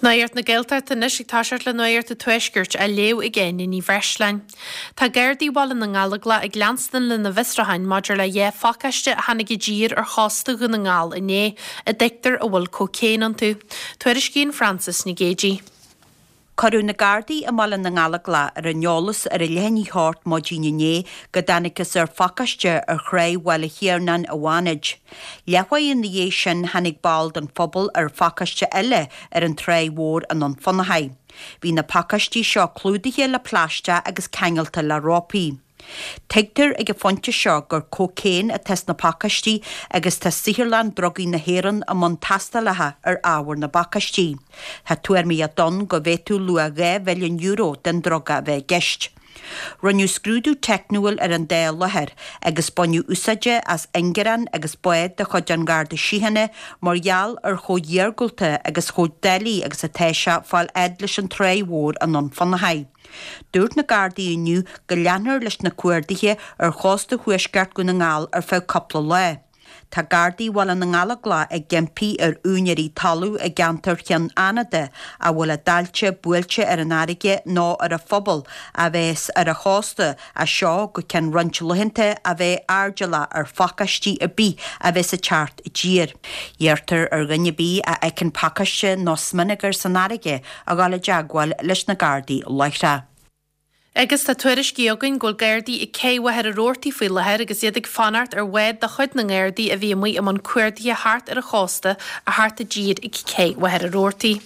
Nuacht na Gaeltachta anois ag toiseacht le Nuacht an Tuaiscirt á léamh ag Áine Ní Bhreisleáin. Tá Gardaí Bhaile na nGallóglach ag leanstan lena bhfiosrúcháin maidir le 2 phacáiste a tháinig i dtír ar chósta Dhún na nGall inné, a dtuigtear a bhfuil cócaon iontu. Tuairiscíonn Frances Nic Géadaigh. Cuireadh na Gardaí i mBaile na nGallóglach ar an eolas ar a leath i ndiaidh a hocht maidin inné go dtángthas ar phacáiste ar thráigh Bhaile Thiarnáin i bhFánaid. Leathuair ina dhiaidh sin tháinig ball den phobal ar phacáiste eile ar an Tráigh Mhór i nDún Fionnachaidh. Bhí na pacáistí seo clúdaithe le plaisteach agus ceangailte le rópaí. Tuigtear ag an phointe seo gur cócaon atá sna pacáistí agus tá Saotharlann Drugaí na hÉireann i mbun tástálacha ar ábhar na bpacáistí. Tá tuairimíocht ann go bhféadfadh luach €2 mhilliún den druga a bheith i gceist. Rinneadh scrúdú teicniúil ar an dá láthair agus baineadh úsáide as ingearán agus bád de chuid an Gharda Síochána mar gheall ar chomh hiargúlta agus chomh doiligh agus atá sé fáil fhad leis an Tráigh Mhór i nDún Fionnachaidh. Dúirt na Gardaí inniu go leanfar leis na cuarduithe ar chósta thuaisceart Dhún na nGall ar feadh cúpla lá. Tá Gardaí Bhaile na nGallóglach ag impí ar úinéirí talaimh i gceantar Chionn Fhánada a bhfuil a dtailte buailte ar an fharraige nó ar an phobal a bheas ar an chósta as seo go ceann roinnt laethanta a bheith airdeallach ar phacáistí ar bith a bheas ag teacht i dtír. Iarrtar ar dhuine ar bith a fheiceann pacáiste nó smionagar san fharraige a dhul i dteagmháil leis na Gardaí láithreach. Agus tá tuairiscí againn go bhfuil Gardaí ag Cé Mhachaire Rabhartaigh faoi láthair agus iad ag fanacht ar bhád de chuid na nGardaí a bhí amuigh i mbun cuardaithe thart ar an chósta a theacht i dtír ag Cé Mhachaire Rabhartaigh.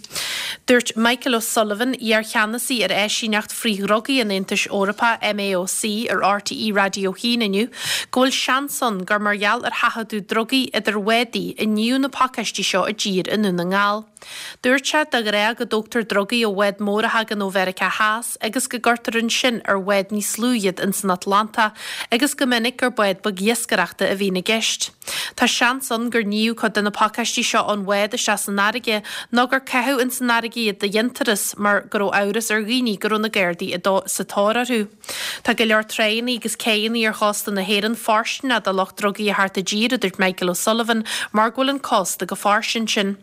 Dúirt Michael O'Sullivan, iar-cheannasaí ar áisíneacht frith-dhrugaí an Aontais Eorpaigh, MAOC, ar RTÉ Raidió 1 inniu go bhfuil seans ann gur mar gheall ar sheachadadh drugaí idir bhádaí a níodh na pacáistí seo i dtír i nDún na nGall. Dúirt sé, de ghnáth go dtógtar drugaí ó bhád mór a thagann ó Mheiriceá Theas agus go gcuirtear ansin ar bhád níos lú iad ins an Atlantach agus go minic gur bád beag iascaireachta a bhíonn i gceist. Tá seans ann gur níodh cuid de na pacáistí seo ón bhád isteach san fharraige nó gur caitheadh ins an fharraige iad de dhéantús mar go raibh amhras ar dhaoine go raibh na Gardaí sa tóir orthu. Tá go leor tráigheanna agus céidheanna ar chósta na hÉireann fóirsteanach do lucht drugaí a theacht i dtír, a dúirt Michael O'Sullivan, mar go bhfuil an cósta go fairsing ansin.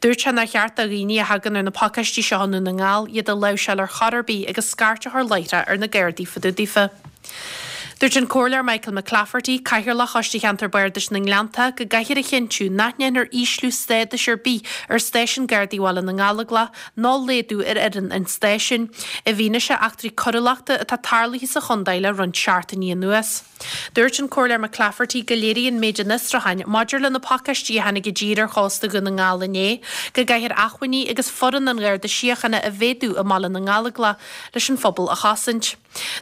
Dúirt sé nár cheart do dhaoine a thagann ar na pacáistí seo i nDún na nGall iad a láimhseáil ar chor ar bith agus scairt a chur láithreach ar na Gardaí fá dtaobh daofa. Dúirt an Comhairleoir Michael McClafferty, Cathaoirleach Choiste Cheantar Bardais na nGleannta, go gcaithfear a chinntiú nach ndéanfar ísliú stádais ar bith ar Stáisiún Gardaí Bhaile na nGallóglach ná laghdú ar fhoireann an stáisiúin, i bhfianaise eachtraí coiriúlachta atá tarlaithe sa chontae le roinnt seachtainí anuas. Dúirt an Comhairleoir McClafferty go léiríonn méid an fhiosrúcháin maidir le na pacáistí a tháinig i dtír ar chósta Dhún na nGall inné go gcaithfear acmhainní agus foireann an Gharda Síochána a mhéadú i mBaile na nGallóglach leis an phobal a chosaint.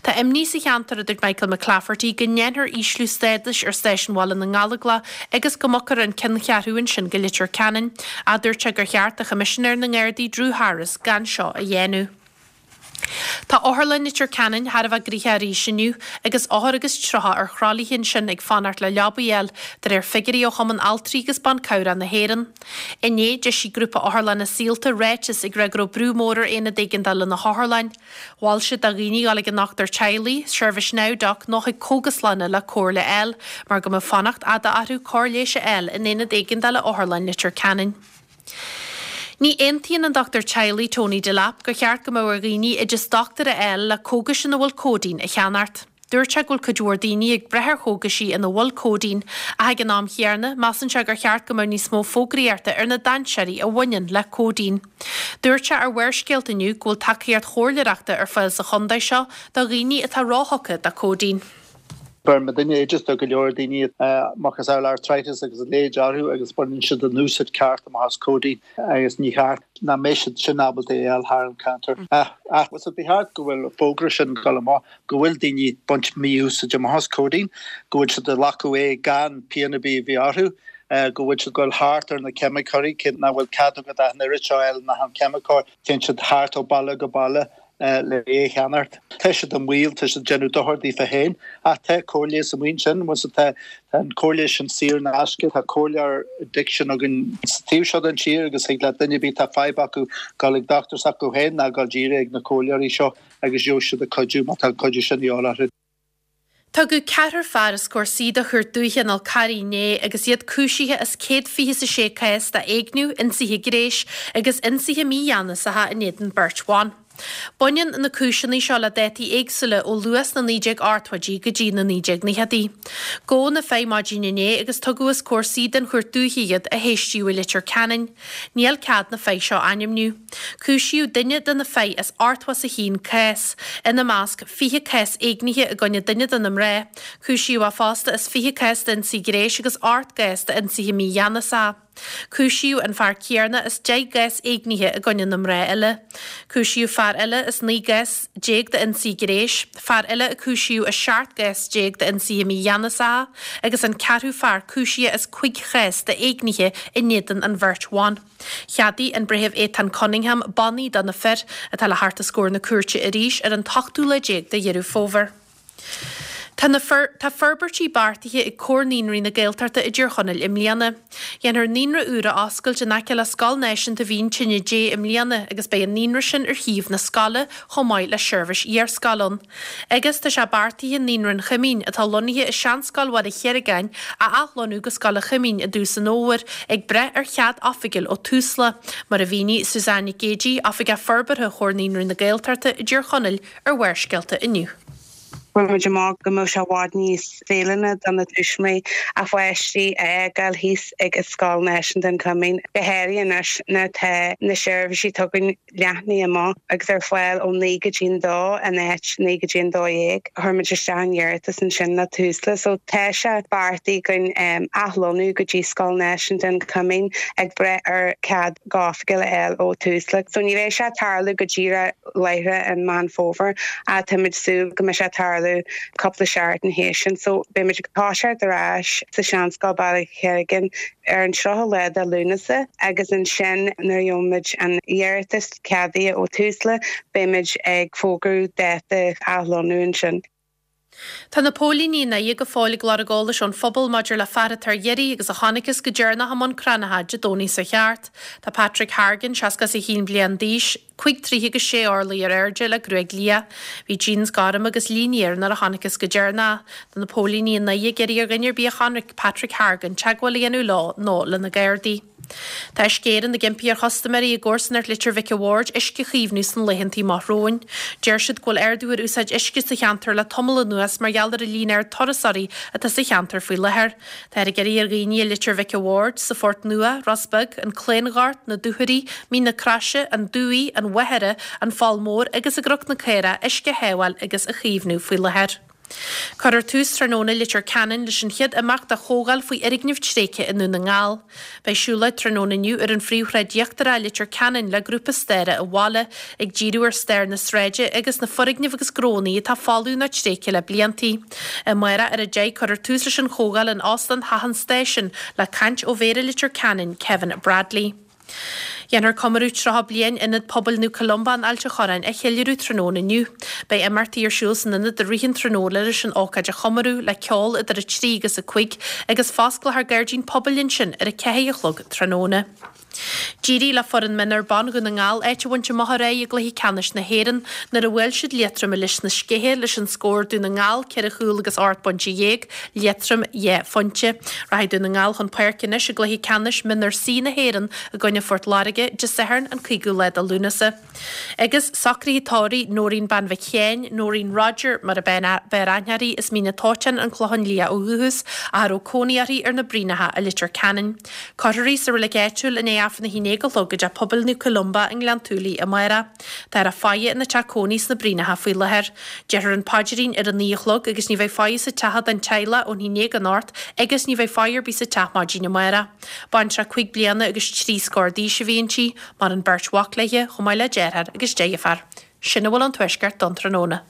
Tá imní sa cheantar, a dúirt Michael McClafferty, go ndéanfar ísliú stádais ar Stáisiún Bhaile na nGallóglach agus go mbogfar an ceanncheathrú ansin go Leitir Ceanainn, ach dúirt sé gur cheart do Choimisinéir na nGardaí Drew Harris gan seo a dhéanamh. Tá Otharlann Leitir Ceanainn thar a bheith gnoitheach arís inniu agus othair agus 30 ar thralaithe ansin ag fanacht le leabaí a fháil, de réir figiúirí ó Chumann Altraí agus Ban Cabhrach na hÉireann. Inné, d'eisigh grúpa otharlanna Saolta ráiteas ag rá go raibh brú mór ar aonad éigeandála na hotharlainne. Mhol siad do dhaoine dul ag a ndochtúir teaghlaigh, seirbhís NowDoc nó chuig cógaslanna le comhairle a fháil, mar go mbeadh fanacht fhada orthu cóir leighis a fháil in aonad éigeandála Otharlann Leitir Ceanainn. Ní aontaíonn an dochtúir teaghlaigh Tony Delap gur cheart go mbeadh ar dhaoine oideas dochtúra a fháil le cógais ina bhfuil cóidín a cheannacht. Dúirt sé go bhfuil cuid mhór daoine ag brath ar chógaisí ina bhfuil cóidín, ach ag an am chéanna, measann sé gur cheart go mbeadh níos mó fógraíochta ar na dainséirí a bhaineann le cóidín. Dúirt sé ar Bharrscéalta inniu go bhfuil tacaíocht chomhairleoireachta ar fáil sa chontae seo do dhaoine atá róthugtha do cóidín. Beireann muidinne oideas do go leor daoine macasamhail arthritis agus a leithéid orthu agus baineann siad an úsáid ceart amach as codeine agus ní cheart nach mbeidh siad sin ábalta é a fháil thar an counter. Ach ba cheart go bhfuil fógra sin ag dul amach go bhfuil daoine ag baint mí-úsáid amach as codeine, go bhfuil siad ag glacadh é gan pian ar bith a bheith orthu, go bhfuil siad ag dul thart ar na ceimiceoirí, cé nach bhfuil cead agat ach an oiread seo a fháil in achan ceimiceoir, téann siad thart ó baile go baile le é a cheannacht. Tá siad i mbaol, tá siad ag déanamh dochar daofa féin, ach tá cóir leighis amuigh ansin, bhfuil tá an cóir leighis sin saor in aisce, tá comhairleoir addiction againn sa taobh seo den tír agus thig le duine ar bith atá fadhb acu dul ag dochtúir s'acu féin ná dul díreach ag na comhairleoirí seo agus gheobhaidh siad an cuidiú má tá an cuidiú sin de dhíobháil orthu. Tugadh ceathrar fear os comhair suí de Chúirt Dúiche an Fhál Carraigh inné agus iad cúisithe as 126 cás d'éigniú, ionsaithe gnéis agus ionsaithe mígheanasacha in éadan beirt bhan. Baineann na cúiseanna seo le dátaí éagsúla ó luath sna 1980idí go dtí na 1990idí. Gabhadh na fir maidin inné agus tugadh os comhair suí den Chúirt Dúiche iad a héistíodh i Leitir Ceanainn. Níl cead na fir seo a ainmniú. Cúisíodh duine de na fir as 81 cás, ina measc 20 cás éignithe i gcoinne duine de na mná. Cúisíodh é fosta as 20 cás d'ionsaí gnéis agus 8 gcás d'ionsaithe mígheanasacha. Cúisíodh an fear céanna as 10 gcás éignithe i gcoinne na mná eile. Cúisíodh fear eile as 19 gcás d'ionsaí gnéis, fear eile a cúisíodh as 17 gcás d'ionsaithe mígheanasacha agus an ceathrú fear cúisithe as 5 chás d'éignithe in éadan an bheirt bhan. Cheadaigh an Breitheamh Étáin Cunningham bannaí do na fir, atá le theacht os comhair na cúirte arís ar an t-ochtú lá déag de Dheireadh Fómhair. Tá na Tá forbairtí beartaithe ag Comhar Naíonraí na Gaeltachta i dTír Chonaill i mbliana. Dhéanfar naíonra úr a oscailt in aice le Scoil Náisiúnta Mhín Tine Dé i mbliana agus beidh an naíonra sin ar shuíomh na scoile chomh maith le seirbhís iarscoile ann. Agus tá sé beartaithe Naíonra an Choimín, atá lonnaithe i seanscoil Bhaile Chiargáin, a athlonnú go Scoil an Choimín i dtús an fhómhair, ag brath ar chead oifigiúil ó Tusla, mar a mhínigh Suzanne Nic Géidigh, Oifigeach Forbartha Chomhar Naíonraí na Gaeltachta i dTír Chonaill, ar Bharrscéalta inniu. Fuair muid amach go mbeadh sé i bhfad níos feiliúnaí do na tuismitheoirí a bpáistí a fhágáil thíos ag Scoil Náisiúnta an Choimín, go háirithe anois nuair atá na seirbhísí atá againn leathnaithe amach agus ar fáil ó 9 go dtí an 2 in áit 9 go dtí an 12. Chuir muid isteach an iarratas ansin le Tusla so tá sé beartaithe againn athlonnú go dtí Scoil Náisiúnta an Choimín ag brath ar cead go hoifigiúil a fháil ó Tusla. So ní bheidh sé ag tarlú go díreach láithreach i Meán Fómhair ach táimid súil go mbeidh sé ag tarlú cúpla seachtain théis sin. So beidh muid ag toiseacht ar ais sa Seanscoil Baile Cherrigan ar an 30ú lá de Lúnasa agus ansin nuair a gheobhaimid an iarratas ceadaithe ó Tusla beimid ag fógrú dáta athlonnú ansin. Tá na póilíní i nDoire go fóill ag lorg eolais ón phobal maidir le fear atá ar iarraidh agus a chonacthas go deireanach i mbun Cranncha Dé Domhnaigh seo thart. Tá Patrick Hargan, 61 bliain d'aois, 5 troithe agus 6 orlaí ar airde le gruaig liath. Bhí jeans gorm agus línte air nuair a chonacthas go deireanach. Tá na póilíní i nDoire ag iarraidh ar dhuine ar bith a chonaic Patrick Hargan teagmháil a dhéanamh leo nó le na Gardaí. Tá Uisce Éireann ag impí ar chustaiméirí i gcomharsanacht Leitir Mhic a' Bhaird uisce a chaomhnú sna laethantaí amach romhainn. Deir siad go bhfuil ardú ar úsáid uisce sa cheantar le tamall anuas mar gheall ar an líon ard turasóirí atá sa cheantar faoi láthair. Táthar ag iarraidh ar dhaoine i Leitir Mhic a' Bhaird, sa Phort Nua, Ros Beag, An Claongort, Na Dúchoraidh, Mín na Croise, An Dumhaigh, An Mhachaire, An Pholl Mór agus i gCnoc na Caorach uisce a shábháil agus a chaomhnú faoi láthair. Cuirfear tús tráthnóna i Leitir Ceanainn leis an chéad imeacht de chomhdháil faoi fhoirgnimh tréigthe i nDún na nGall. Beidh siúlóid tráthnóna inniu ar an phríomhshráid íochtarach i Leitir Ceanainn le grúpa staire an bhaile, ag díriú ar stair na sráide agus na foirgnimh agus gnónna atá folamh nó tréigthe le bliantaí. Amárach ar a 10 cuirfear tús leis an chomhdháil in Óstán Theach an Stáisiúin le caint ó Mhéara Leitir Ceanainn, Kevin Bradley. Dhéanfar comóradh 30 bliain Ionad Pobail Naomh Columba in Ailt an Chorráin a cheiliúradh tráthnóna inniu. Beidh imeachtaí ar siúl san ionad i rith an tráthnóna leis an ócáid a chomóradh, le ceol idir 3 agus 5 agus fosclófar gairdín pobail ansin ar 4 a chlog tráthnóna. D'éirigh le foireann mionúr ban Dhún na nGall áit a bhaint amach aréir i gcluiche ceannais na hÉireann nuair a bhuail siad Liatroim i Lios na Scéithe leis an scór Dún na nGall 4 chúl agus 18 bpointe, Liatroim 2 phointe. Rachaidh Dún na nGall chun páirce anois i gcluiche ceannais Mionúr C na hÉireann i gcoinne Phort Láirge, Dé Sathairn an 5ú lá de Lúnasa. Agus socruithe tórraimh Nóirín Bean Mhic Sheáin, Nóirín Rodger mar a b'fhearr aithne uirthi, as Mín an Tóiteáin, An Clochán Liath ó dhúchas, ach a raibh cónaí uirthi ar na Braonacha i Leitir Ceanainn. Cuirfear í sa reilig áitiúil i ndiaidh Aifreann a haon déag a chlog i dTeach Pobail Naomh Columba i nGleann tSúilí amárach. Táthar á faire ina teach cónaí sna Braonacha faoi láthair. Déarfar an paidrín ar a 9 a chlog agus ní bheidh faire sa teach don teaghlach ón 11 anocht agus ní bheidh faire ar bith sa teach maidin amárach. Baintreach 5 bliana agus 3 scór d'aois a bhí inti, maireann beirt mhac léi, chomh maith le deartháir agus deirfiúr. Sin a bhfuil ón Tuaisceart don tráthnóna.